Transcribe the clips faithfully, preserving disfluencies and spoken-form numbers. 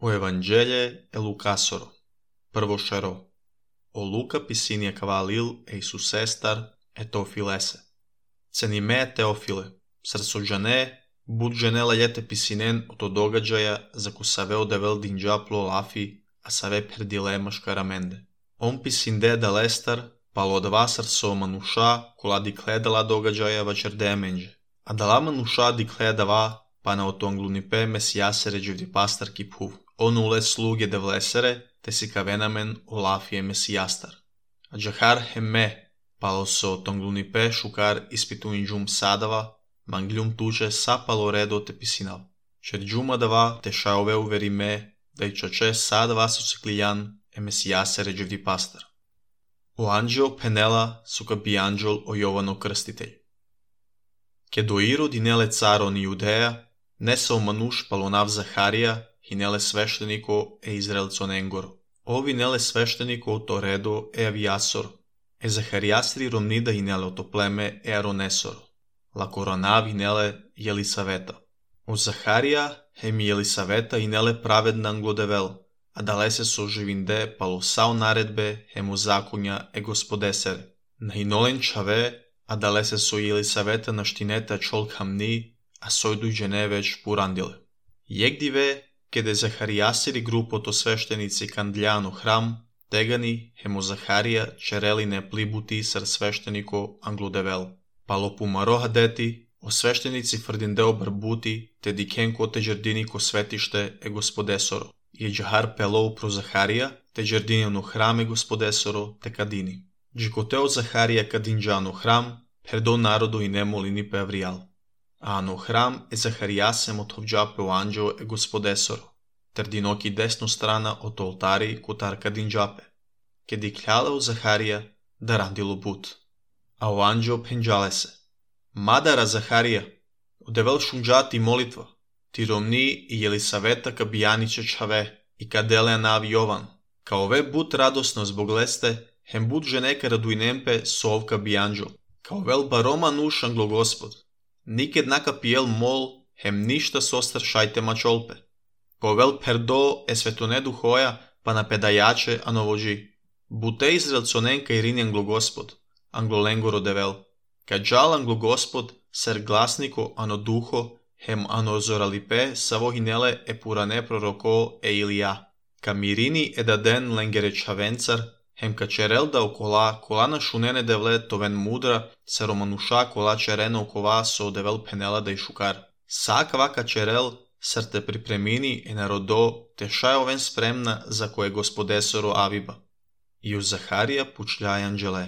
O Evangelje e Lukasoro, prvo šero. O Luka pisinia kavalil e Isusestar e Teofilese. Cenime Teofile, srcođane, budženela ljete pisinen o to događaja za ko save odevel dinđaplo lafi, a save perdilema škaramende. On pisinde da lestar, palo od vas srco manuša, kola dikledala događaja vačerde menđe. A dala manuša dikledava, pa na otonglunipe mesijasere dživdi pastar kiphuv. On ule sluge de vlesere, te si kavenamen o lafije mesijastar. A džahar hemme, palo so tonglunipe šukar ispituin džum sadava, mangljum tuže sapalo redo te pisinav. Čer džuma dava te šaove uverime, da i čoče sadava su ciklijan e mesijasere dživdi pastar. O anđeo penela suka bi anđel o Jovano krstitelj. Ke do Irod inele caro ni Judeja, nesao manuš palonav Zaharija, hinele svešteniko e Izraelco nengoro. Ovi nele svešteniko to redo e aviasor, e Zaharijastri romnida hinele to pleme e aronesoro. La koronav hinele Jelisaveta. O Zaharija hemi Jelisaveta hinele pravedna anglodevel, a dalese so živinde palo sao naredbe hemu zakonja e gospodesere. Na hinolen čave, a dalese so Jelisaveta naštineta čol hamni, a sojdu džene već purandile. Jegdive, kede Zaharijasiri grupo to sveštenici kandljano hram, tegani hemo Zaharija čereline plibuti sar svešteniko anglodevel. Palo pumaroha deti, o sveštenici frdindeo barbuti, te dikenko te džerdiniko svetište e gospodesoro. Je džahar pelou pro Zaharija, te džerdinjano hrame gospodesoro te kadini. Džikoteo Zaharija kadinđano hram, perdo narodu i nemolini pe avrijal. A ano hram e Zaharijasem od hovđape o anđeo e gospodesoro, ter dinoki desno strana od oltari kutar kadinđape. Ke dikljala u Zaharija da randilo put. A o anđeo penđale se. Madara Zaharija, odevel šunđati molitva, ti romni i Jelisaveta kabijaniće čave i kadele navi Jovan. Kao ove but radosno zbog leste, hem bud ženeka raduinempe sovka bi anđel. Kao vel baroma nuš anglo gospod. Niked naka pijel mol, hem ništa sostar šajte mačolpe. Kao vel perdo e svetonedu hoja, pa na pedajače anovođi. Bute Izraelconenka i rini anglo gospod, anglo lengoro devel. Kad žal anglo gospod, ser glasniko ano duho, hem ano zoralipe savohinele e purane proroko e Ilija. Ka mirini e daden lengere čavencar, hem ka čerel da okola, kola na šunene devle toven mudra, sa romanuša kola čerena okova so devel penela da i šukar. Sak vaka čerel, sar te pripremini e narodo, te šaj oven spremna za koje gospodesoro aviba. I u Zaharija pučljaj anđele.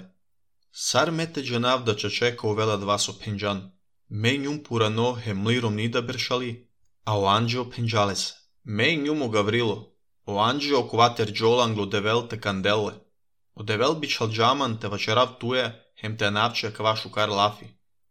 Sar mete džanav da čačeka uvela dva so penđan. Me njum purano hem li romnida beršali, a o anđeo penđale se. Me njum o Gavrilo, o anđeo okovater džola anglo devel te kandele. O devel bičal džaman te vačerav tuje, hem te anavče kva šukar lafi.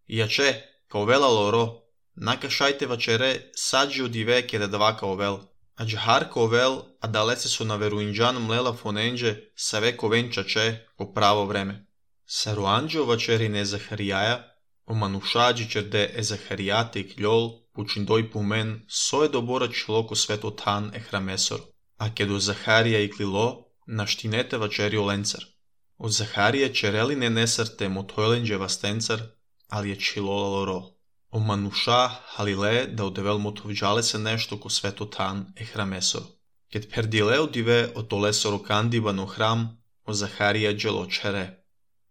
Iače, kao vela loro, naka šajte vačere sađi odive kede dva kao vel. A džahar kao vel, a dalece so na veruinđan mlela fonenđe, save kovenčače po pravo vreme. Saru anđeo vačeri ne Zaharijaja, o manušađi čerde e Zaharijate i kljol, pučindoj pumen, soje dobora čiloko sveto tan e hramesor. A kedo Zaharija i klilo, naštinete vačeri o lencar. Od Zaharije čereline nesarte motojlenđe vastencar, ali je čilola loro. O manuša halile da odevel motovđale se nešto ko sveto tan e hramesor. Ket perdile odive o to lesoro kandibano hram, o Zaharija dželo čere.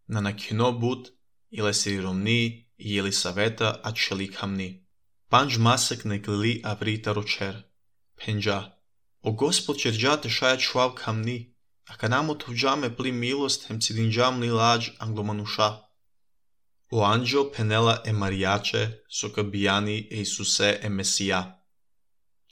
Na nakino but, ile si romni i Jelisaveta a čelik hamni. Panđ masek neklili avrita ročer. Penđa. O gospod čerđate šaja čuav kamni, a kanamo tovđame pli milost hem cidinđam li lađ anglomanuša. O anđeo penela e marijače, soka bijani e Isuse e Mesija.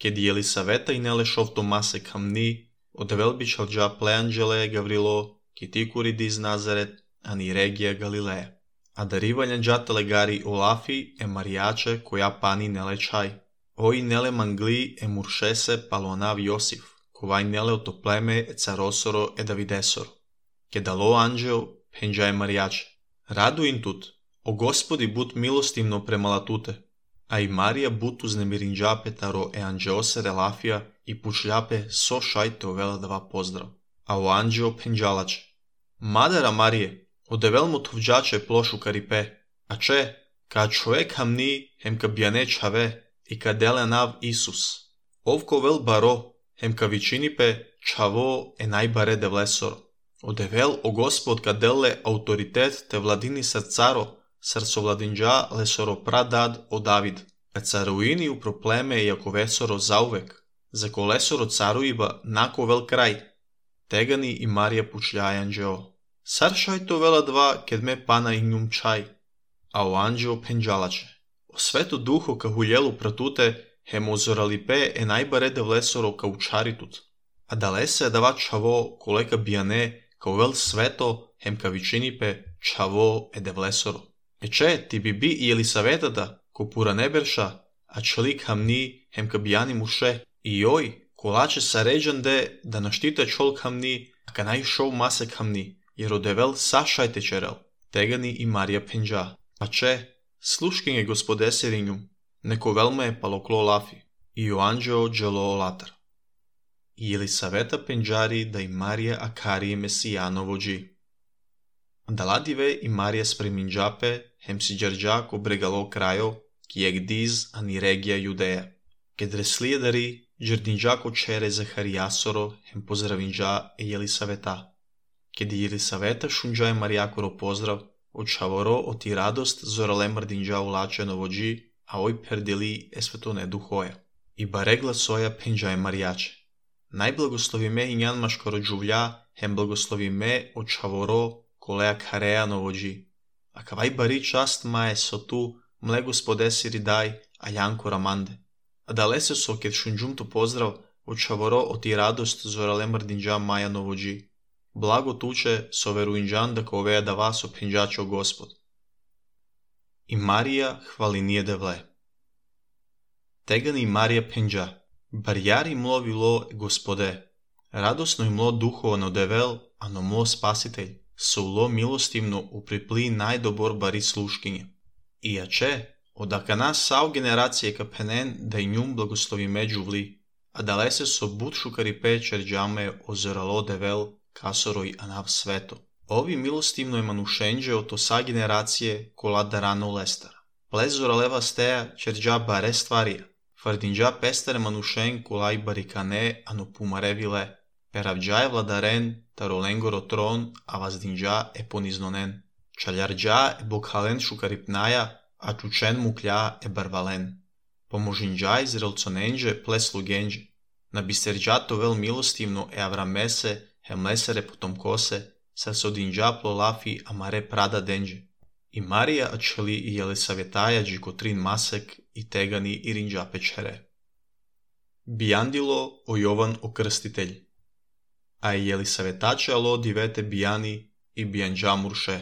Ked Jelisaveta i nele šovto masek hamni, odevel bi čalđa ple anđele Gavrilo, kitikuri diz Nazaret, ani regija Galileja. A darivalja džatele gari olafi e marijače koja pani nele čaj. Oi nele mangli e muršese palonav Josif, kovaj nele oto pleme e carosoro e Davidesoro. Kedalo anđeo penđa e marijače. Radu in tut, o gospodi but milostivno prema latute, a i Marija but uznemirinđa petaro e anđeose relafija, i pučljape so šajte ovela dva pozdrav. A o anđeo penđalače. Madara Marije, odevel mu tovđače plošu karipe, a če, ka čovek hamni, hem ka bjane čave, i ka dele nav Isus. Ovko vel baro, hem ka vičinipe, čavo e najbare de vlesoro. Odevel o gospod ka dele autoritet te vladini srcaro, srco vladinđa lesoro pradad o David. Kad caruini u probleme jako vesoro zauvek, za kolesoro caruiba nako vel kraj, tegani i Marija pučljaj anđeo. Sar šajto vela dva, ked me pana i njum čaj, a o anđeo penđalače. O svetu duho ka huljelu pratute, hem ozoralipe e najbarede vlesoro ka učaritut. A dalese dava čavo koleka bijane, ka vel sveto, hem ka vičinipe čavo e de vlesoro. E če, ti bi bi i Elisavetada, ko pura neberša, a čelik hamni, hem ka bijani muše, i oj, kolače saređande, da naštite čolk hamni, a ka najšov masek hamni, jer odevel sašajte čerel, tegani i Marija penđa. A če, sluškinje gospode serinjum, neko velme je paloklo lafi, i o anđeo dželo olatar. I Elisaveta penđari da i Marija akarije mesijanovo dži. Daladive i Marija spreminđape, hem si džarđa ko bregalo krajo, kijek diz ani regija Judeja. Kedre slijedari, džardinđa ko čere Zaharijasoro, hem pozdravinđa e Elisaveta. Kedi Elisaveta šunđa je Marijakoro pozdrav, od čavoro oti radost zorale mrdinđa ulačeno vođi, a oj perdili e svetone duhoja. I baregla soja penđa je Marijače. Najblagoslovi me i njan maškoro džuvlja, hem blagoslovi me od čavoro kolea kareja novođi. A kavaj bari čast maje so tu, mle gospode siri daj, a janko ramande. A dalese so ked šunđum tu pozdrav, od čavoro oti radost zorale mrdinđa maja novođi. Blago tuče so veruinđan da koveja da vas opinđačo gospod. I Marija hvalinije devle. Tegani Marija penđa, barjari mlo vilo gospode, radosno imlo duhovano devel, ano mlo spasitelj, so ulo milostivno upripli najdobor bari sluškinje. I ače, odaka nas sao generacije kapenen da i njum blagoslovi među vli, a dalese so butšu karipe čerđame ozoralo devel, kasoroj anav sveto. Ovi milostivno je manušenđe o to sa generacije kola darano lestara. Plezora leva steja čerđa bare stvarija, fardinđa pestare manušen kolaj barikane ano pumarevile, peravđa je vladaren, tarolengoro tron, a vazdinđa e poniznonen. Čaljarđa e bokhalen šukaripnaja, a čučen muklja e barvalen. Pomožinđa iz relconenđe pleslugenđe, na biserđa to vel milostivno e avramese, hemlesere potom kose, sa sodinđa plolafi amare prada denđe. I Marija ačeli i Jelisavetaja džikotrin masek i tegani i rinđa pečere. Bijandilo o Jovan okrstitelj. A i Jelisavetače alo divete bijani i bijanđa murše.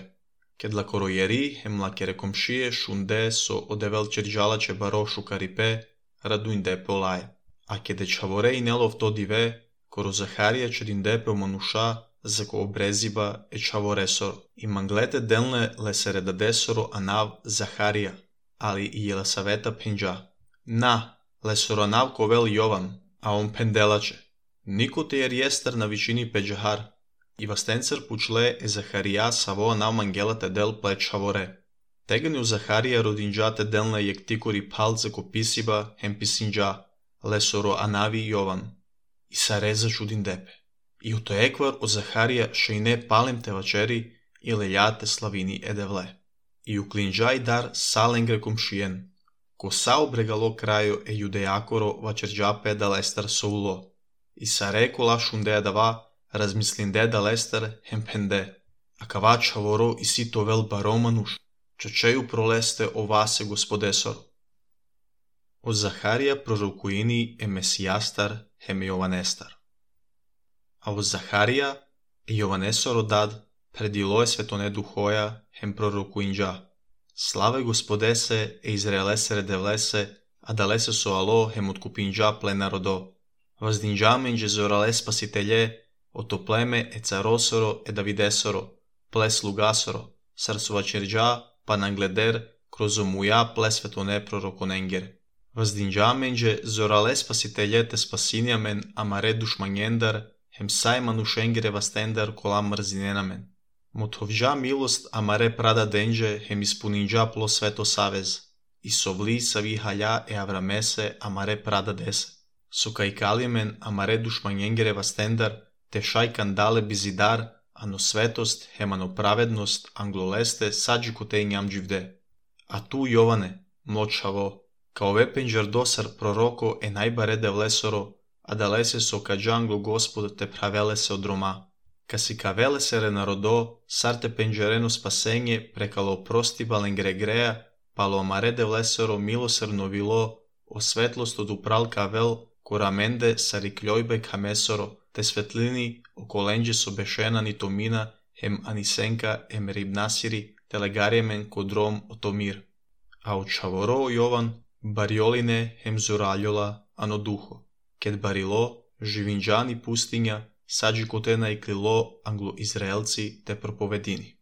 Ked la korojeri hem la kerekomšije šunde so odevel čerđalače barošu karipe, raduinde polaje. A kede čavore i nelov to dive, koro Zaharija čerindepe manuša, zako obreziba e čavoresoro. I manglete delne lesere dadesoro anav Zaharija, ali i Jelisaveta penđa. Na, lesoro anav kovel Jovan, a on pendelače. Niko te jer jester na vičini peđahar. I vastencer pučle e Zaharija savo anav mangelate del ple čavore. Tegani u Zaharija rodinđate delne jek tikori palce ko pisiba hem pisinđa, lesoro anavi Jovan. I sareza čudin depe. I u to ekvar od Zaharija še i ne palem te vačeri i leljate slavini edevle. I u klinđaj dar salengre komšijen, ko sao bregalo krajo e judejakoro vačerđape da lestar soulo. I sarekola šunde dava razmislinde da lestar hempende, a kava čavoro i sito vel baromanuš, čočeju proleste o vase gospodesor. Od Zaharija prorokuini e mesijastar hem Jovanestar. A od Zaharija e Jovanesoro dad predilo je svetone duhoja hem prorokuinđa. Slave gospodese e izraelesere devlese, a dalese so alo hem otkupinđa plenarodo. Vazdinđa menđe zorale spasitelje, oto pleme e carosoro e davidesoro, ple slugasoro, sarsovačerđa pa nangleder kroz omuja ple svetone prorokonenger. Въздинджаменже зорале спасителете спасинямен, амаре душманендър, хем сайману шенгере вастендър колам мързиненамен. Мотовжа милост амаре прада денже, хем изпунинджа пло свето савез. И совли сави халя е аврамесе амаре прада десе. Сукайкалимен амаре душманенгере вастендър, те шайкан дале бизидар, ано светост, хемано праведност, англолесте, саджикоте ням дживде. А ту Јоване, млочаво, као ве пенџардосар пророко е најбаре девлесоро, а далесе со каджангло Господ те правеле се од рома. Ка си кавеле се ренародо, сар те пенџерено спасење, прекало прости бален грегреа, пало амаре девлесоро милосрно вило, о светлост од упрал кавел, кораменде сари клјојбе камесоро, те светлини околенџе со бешена ни томина, хем анисенка ем рибнасири, телегариемен кодром отомир. А од шаворо Јован, бариолине хем зуралјола, ано духо. Кед барило, живинџани пустиња, саджи котена и клило англо-израелци те проповедини.